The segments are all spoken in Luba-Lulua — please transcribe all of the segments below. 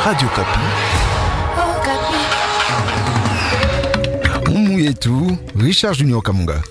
Radio Okapi. Mumu yetu Richard Junior Kamunga.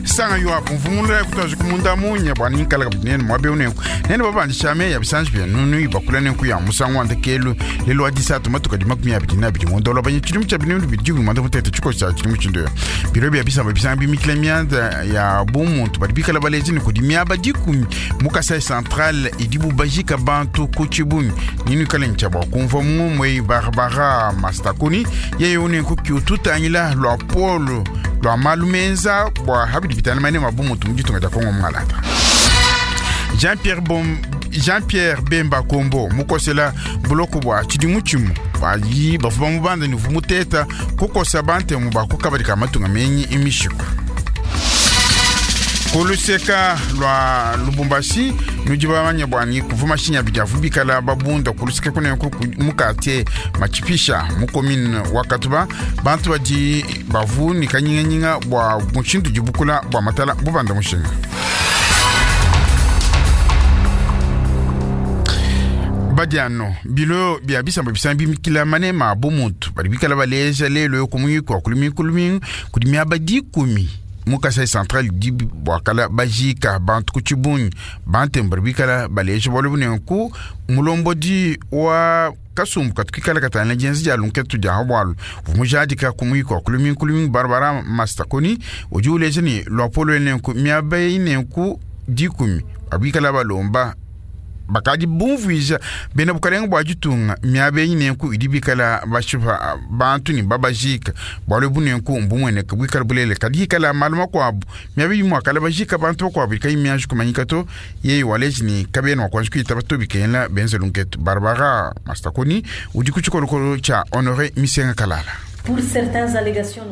Sanga yo apumvumula kutazi kumunda munya bwana inkala kabinene mwabe unenku nene babandisha meya bisanji bya nunu ibakula nenku ya musango wandekelu lelo wa disatu matuka di 22 ngondo banye chilimu cha binunu bidigu manda mutete chiko cha chilimu chindo biro bya bisamba bisanga bimikila mianda ya bumuntu bali bikala baleji ni kudi miaba dikumi mukasai central idibu bajika bantu kuchibunyi ninu kala nchaba kumva mumwe Barbara Mastakuni yeye unenku kiututangila lwa polo lwa malumenza bwa habidi bitana mane mabumuntu mujitunga ja Kongo mngalata. Jean-Pierre Bemba Kombo mukosela buloko bwa chidimu chimu bayi bavuba mubanda ni vumuteta kukosa bante mu bakukabadika matunga menyi imishiko. Kuluseka lwa Lubumbashi nujibamanya bwani kuvuma shinya bijavu bikala babunda kuluseka kune mukate machipisha mukomine wakatuba bantu baji bavu ni kanyinga bwa mushindu jibukula bwa matala bubanda mushinga. Badiano bilo bia bisamba bisambi mikila mane ma bomuntu bali bikala baleja lelo kumuyiko kulumi kudimia badikumi mukasai central di bwakala bajika bantu kuchibunyi bantembe bikala baleja bolu mulombodi wa kasumbu katukikala katana jenzi ja lunketu ja habwalu vumujadika kumuyiko kulumi Barbara Mastakoni ujuleje ni lwapolo nenku miabe nenku dikumi abikala balomba bakadi bumvuija bena bukalenga bwa jitunga miabe nenku idibikala bashipa bantu ni babajika bwalo bunenku mbumweneka bwikala bulele kadikala maluma kwabu miabe yimwa kala bajika bantu kwabu kai mianju kumanyika to yeye waleji ni kabena wakwanzu kuita batobikela benze lunketu. Barbara Mastakoni udi kuchikolokolo cha Honore Misenga Kalala.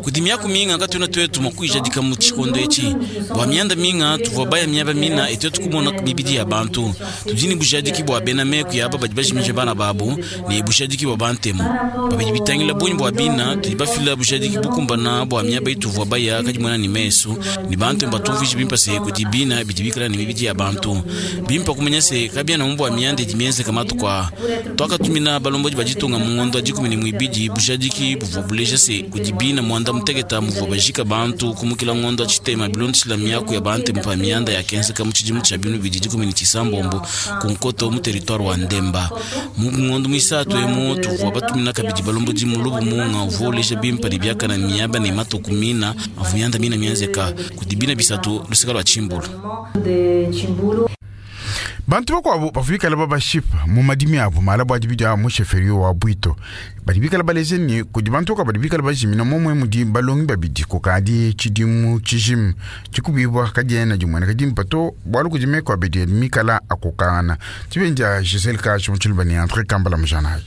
Kudimia kuminga katuna twetu makuijadika mu chikondo echi bwa mianda minga tuvwa baya miaba mina etetu kumona mibidi ya bantu tudini bujadiki bwa bena meku ya baba bajimije bana babu ne bujadiki bwa bantemo babidi bitangila bonyi bwa bina tudibafila bujadiki bukumbana bwa miaba ituvwa baya kadimona ni mesu ni bantu batuviji bimpa se kudibina bidibikala ni mibidi ya bantu bimpa kumenya se kabia na mbwa mianda dimienze kama tukwa twakatumina balomboji bajitunga mu ngondo ajikumi ni mwibidi bujadiki buvwa buleja se kudibina mwanda mutegeta muvwa bajika bantu kumukila ngondo achitema bilondishila miaku ya bantu mpa mianda ya kenze kamu chidimu cha binu bididi kumi ni chisambombo kunkoto mu territoire wa Ndemba mu ngondo mwisatu emu tuvwa batumina kabidi balomboji mulubu munga uvoleja bimpa ni byaka na miaba ni matukumina avu mianda mina mianzeka kudibina bisatu lusika lwa Chimbulu. Bantu bakwabo bavuikala babashipa mu madimi abo mala bwa dibidi mu cheferio wa Bwito badibikala baleze ni kudi bantu ka badibikala bajimina momwe mudi balongi babidi kokadi chidimu chijimu chikubibwa kadiena jimwene kadimpato bwalu kudime kwa bidi mikala akokana tibenja Giselle ka chimchilbani entre kambala mjanayi.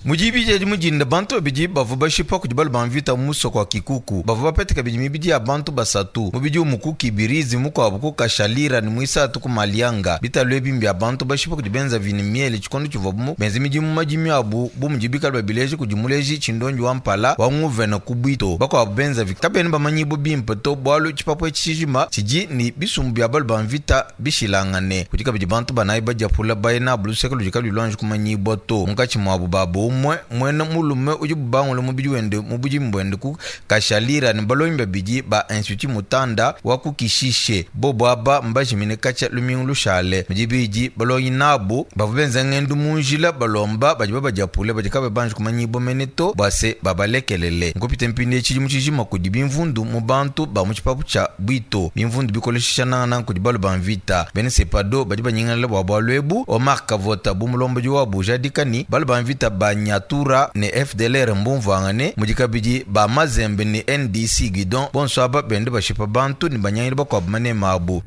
Mujibije mujinda bantu babidi bavua bashipa kudi balu bamvita muso kwa kikuku bavua bapeteka bidi mibidi ya bantu basatu mubidi umuku kibirizi mukuabu ku kashalira ni mwisatu ku malianga bitalu ebi mbya bantu bashipa kudi benza vini miele chikondo chivua bumu benza midimu majimi abu bu mujibikala babileji kudi muleji chindonji wa mpala wa nguvena ku bwito bakuabu benza vi kabeni bamanyibu bimpe to bwalu chipapo chijima chiji ni bisumbu bya balu bamvita bishilangane kudi kabidi bantu banayi badiapula bayina buluseke lujika lulwanji kumanyibwa to munkatshi mwabu babo mwene mulume udi bubangula mubidi wende mubudi mbwende ku kashalira ni balongi babidi ba institut mutanda wa kukishishe bobo aba mbajimine kacha lumingu lushale mudibidi balongi nabo bavua benza ngendu munjila balomba badi babadiapule badi kabe banji kumanyibo mene to bwase babalekelele nkupita mpindi tshidimu tshijima kudi bimvundu mu bantu ba mu tshipapu tshia bwito bimvundu bikoleshisha nangananga kudi balu ba mvita bene sepado badi banyingalala bua bualu ebu Omar Kavota bu mulombodi wabu jadikani balu ba mvita ba Nyatura ne FDLR mbumvangane mudikabidi ba Mazembe ne NDC Guidon bonso aba bende bashipa bantu ni banyangili bakuabu manema abu.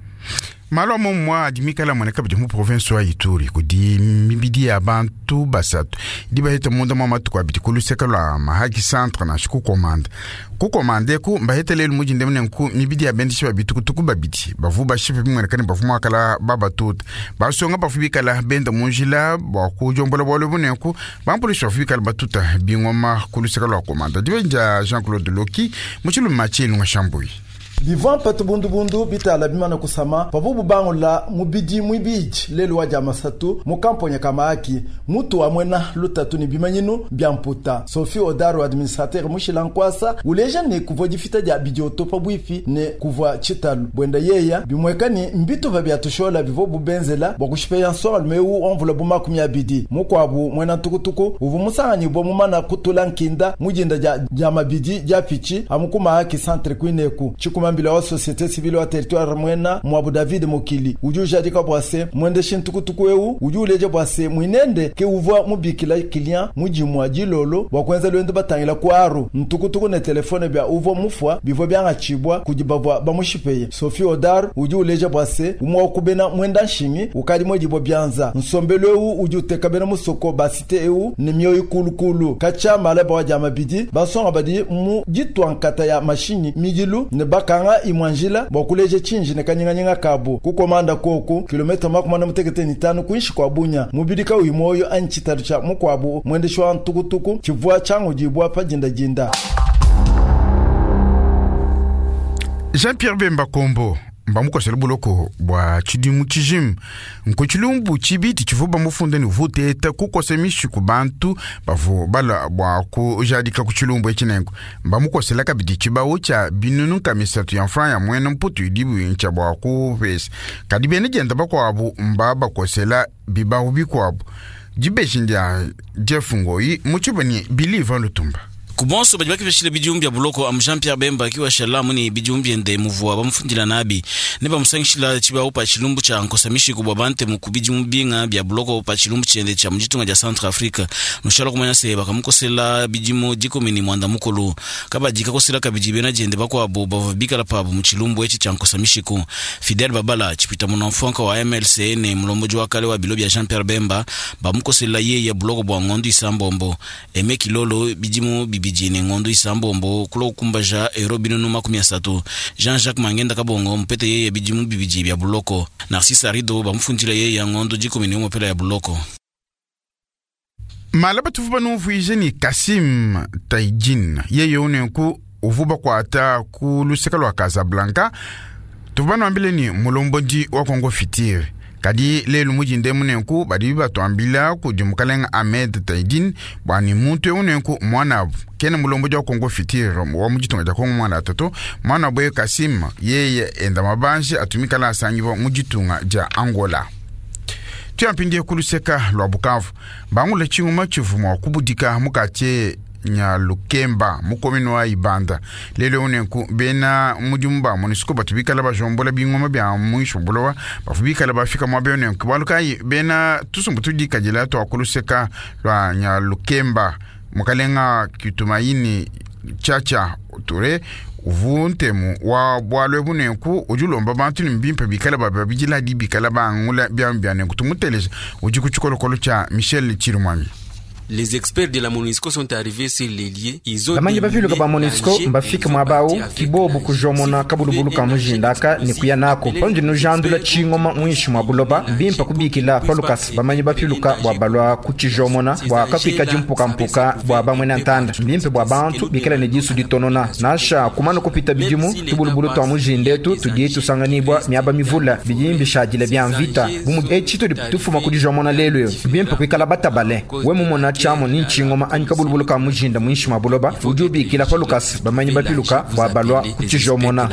Malu a momumue adi mikale amueneka kabidi mu province wa Ituri kudi mibidi ya bantu basatu idi baheta munda mua matuku abidi ku luseke lua Mahagi Centre nansha ku Komanda. Ku Komanda eku mbaheta lelu mudinda nenku mibidi ya bendeshi ba bitukutuku babidi bavu bashipe bimueneka ne bavu muakala babatuta. Basonga bavu bikala benda mu njila bua kujombola bualu ebu nenku bampulushi bavu bikala batuta bingoma ku luseke lua Komanda. Dibeji dia Jean-Claude Loki mu tshiluma tshilunga Shambuyi. Bivua mpatu bundubundu bitala bimana kusama pavubu bangula mubidi muibidi lelu wa dia masatu mu kamponya ka Mahaki mutu wa muena lutatu ne bimanyinu bia mputa. Sophie Odaro administrateur mushila nkuasa uleja ne kuvua difita dia bidioto pabuipi ne kuvua tshitalu buenda yeya bimueka ne mbitupa bia tushola bivua bubenzela bua kushipeya nsongalume eu wa mvula bu 20. Mukuabu muena ntukutuku uvua musanganyibua mumana kutula nkinda mujinda dia mabidi dia pichi amu ku Mahaki centre kuineku. Chikumambila wa société civile wa territoire mwena mwabu David Mokili udi ujadika bua se mwendeshi ntukutuku eu udi uleja bua se mwinende ke uvua mubikila client mujimwa dilolo bua kuenza lwendo batangila ku aru ntukutuku ne telefone bia uvua mufua bivua biangachibwa kudi bavua bamushipeye. Sophie Odar udi uleja bua se umwa wakubena mwenda nshingi ukadi mwedibwa bianza nsombelo eu udi uteka bena musoko basite eu ne mioyo kulukulu kacha malaba wa dia mabidi basonga badi mu ditwa nkata ya mashinyi midilu ne bakanga imwanjila bua kuleja chinji ne kanyinganyinga kabu kukomanda koku kilomita 45 kuinshi kwa Bunya mubidi kauyi moyo anyi tshitalu tsha mukuabu mwendeshi wa ntukutuku tshivua tshiangudibua pa jindajinda. Jean-Pierre Bemba Kombo mbamukosela buloko bua tshidimu tshijima nku tshilumbu tshibidi tshivua bamufunde ne uvua uteta kukosa mishiku bantu bavua balua bua kujadika ku tshilumbu etshi nenku mbamukosela kabidi tshibawu tshia binunu nka misatu ya franc ya muena mputu idibu ntshia bua kupesa kadi bena dienda bakuabu mbabakosela bibawu bikuabu. Dibeji ndia Jeff Ngoyi mu tshibani Billy Ivan Lutumba. Kubonso badi bakepeshile bidimu bia buloko amu Jean-Pierre Bemba akiwa shalamu ni bidimu biende muvua bamufundila nabi ne bamusangishila tshibawu pa tshilumbu tshia nkosa mishiku bua bantemu ku bidimu binga bia buloko pa tshilumbu tshiende tshia muditunga dia Centrafrique. Nushala kumanya se bakamukosela bidimu 19 mukulu kabadi kakosela kabidi bena diende bakuabu bavua bikala pabu mu tshilumbu etshi tshia nkosa mishiku. Fidel Babala tshipita munamfuanka wa MLC ne mulomboji wa kale wa bilo bia Jean-Pierre Bemba bamukosela yeye buloko bua ngondo isambombo. Aime Kilolo bidimu bibidi ne ngondo isambombo kulo kumbaja euro binunu 30. Jean-Jacques Mangenda Kabongo mpete yeye bidimu bibidi bia buloko. Narcisse Arido bamufundila yeye ngondo 11 pela ya buloko. Malaba tuvu banumvuije ni Kassim Taidin yeye unenku uvu bakuata ku luseka lua Casablanca tuvu banuambile ni mulombondi wa Congo Fitire. Kadi lelu mujinde munenku badi batuambila kudi mukalenga Ahmed Taidin bua ni muntu eu nenku mwanabu kene mulombondi wa Congo Fitire wa muditunga dia Congo mwana toto mwanabu ye Kassim yeye enda mabanji atumikala asangiwa muditunga dia Angola. Tuyampindie kuluseka lua Bukavu bangula tshinguma tshivua mua kubudika mukati nya Lukemba mukomini wa Ibanda lelo unenku bena mudimu ba MONUSCO batu bikala bajombola bingoma bia muinshi buloba bafu bikala bafika muaba unenku bualu kayi bena tusumbu tudikadila tua kuluseka lua nya Lukemba mukalenga Kitumaini Chacha Ture uvu ntemu wa bualu ebu nenku udi ulomba bantu ne mbimpe bikala bababidila adi bikala bangula biamu bia nenku tumuteleja udi ku tshikolokolo tshia Michel Chirimwami. Les experts de la MONUSCO sont arrivés sur les lieux. Ils ont bamanyi bapiluka ba MONUSCO mbafika muaba kibobu kujomona kabulubulu ka mujindaka ne kuya nako pandi nujandula tshingoma muinshi mua buloba mbimpa kubikila palukasa bamanyi bapiluka bua balua kutshijomona bua kakuika dimpukampuka bua bamwe na ntanda mbimpe bua bantu bikala ne disu ditonona nasha kumana kupita bidimu tubulubulu tua mujindetu tudi tusanganibwa miaba mivula bidi mbishadila bia mvita bumu etshi tudi tufuma kudijomona lelu yo mbimpe kuikala batabale we mumona tshamo ni ntshingoma anyi kabulubulu ka mujinda muinshi mua buloba udi ubikila palukasa bamanyi bapiluka bua balua kutshijomona.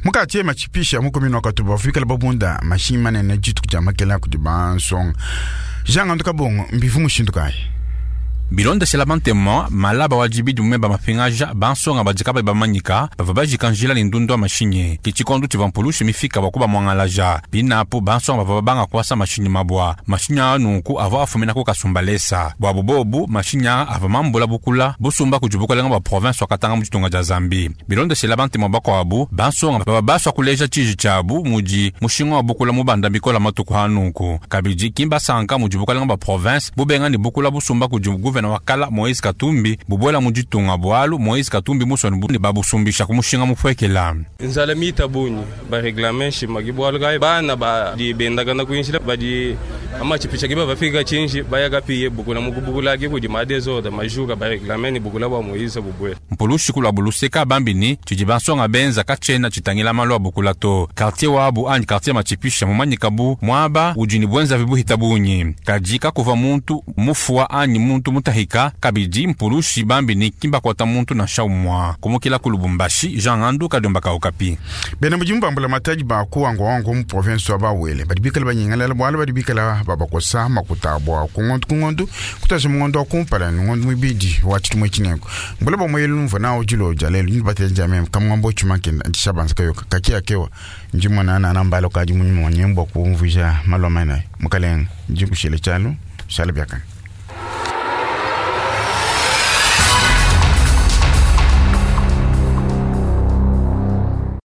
Mukati matshipisha mukomini wa Katuba bafikala babunda mashinyi manene dituku dia makela kudi bansonga Jean Ngandu Kabongo mbivu mushindu kayi? Bilondeshela bantema malaba wa dibidi mu meba mapingaja bansonga badi kabayi bamanyika bavua bajika njila ne ndundu wa mashinyi. Ke tshikondo tshivua mpulushi mifika bua kubamuangalaja. Pinapu bansonga bavua babanga kuasa mashinyi mabua. Mashinyi aa nunku avua afumina ku Kasumbalesa. Buabu bobu mashinyi aa avua mambula bukula busumba kudi bukalenga bua province wa Katanga mu ditunga dia Zambie. Bilondeshela bantema bakuabu bansonga bavua basua kuleja tshiji tshiabu mudi mushinga wa bukula mubanda bikola matuku a nunku. Kabidi ki mbasanka mudi bukalenga bua province bubenga ne bukula busumba kudi gouverneur wa kala Moïse Katumbi bubuela mu ditunga bualu Moïse Katumbi musoni bu ne babusumbisha ku mushinga mupuekela. Nzala mita bungi bareklame nshima ke bualu kayi bana badi bendakana kuinshila badi amatshipisha ke bavafika tshinji baya kapiye bukula mukubukula ke kudi madezoda majuka bareklame ne bukula bua Moïse bubuela. Mpulushi kulua buluseka bambi ni tshidi bansonga benza katshiena tshitangila malu a bukula to. Quartier wabu anyi quartier matshipisha mumanyika bu muaba udi ne buenzavi buhita bungi. Kadi kakuva muntu mufua anyi muntu mutahika kabidi mpulushi bambi ni kimbakwata muntu nansha umwa. Kumukila ku Lubumbashi, Jean Ngandu Kadiomba ka Okapi. Bena mudimu ba mbulamatadi ba ku wango wango mu province wa Bawele badi bikala banyengalala bualu badi bikala babakosa makuta bua ku ngondu ku ngondu kutaja mu ngondu wa kumpala ne ngondu muibidi wa tshidimu tshinengo. Mbula ba moyelu mvua nawo dilo dia lelu ndi batela dia meme kamwambo tshimankenda ndishabanza kayoka kakia kewa ndi mona na nambalo kadi munyuma wa nyembo kumvuija malu amana mukalenga ndi kushile tshialu shala biakana.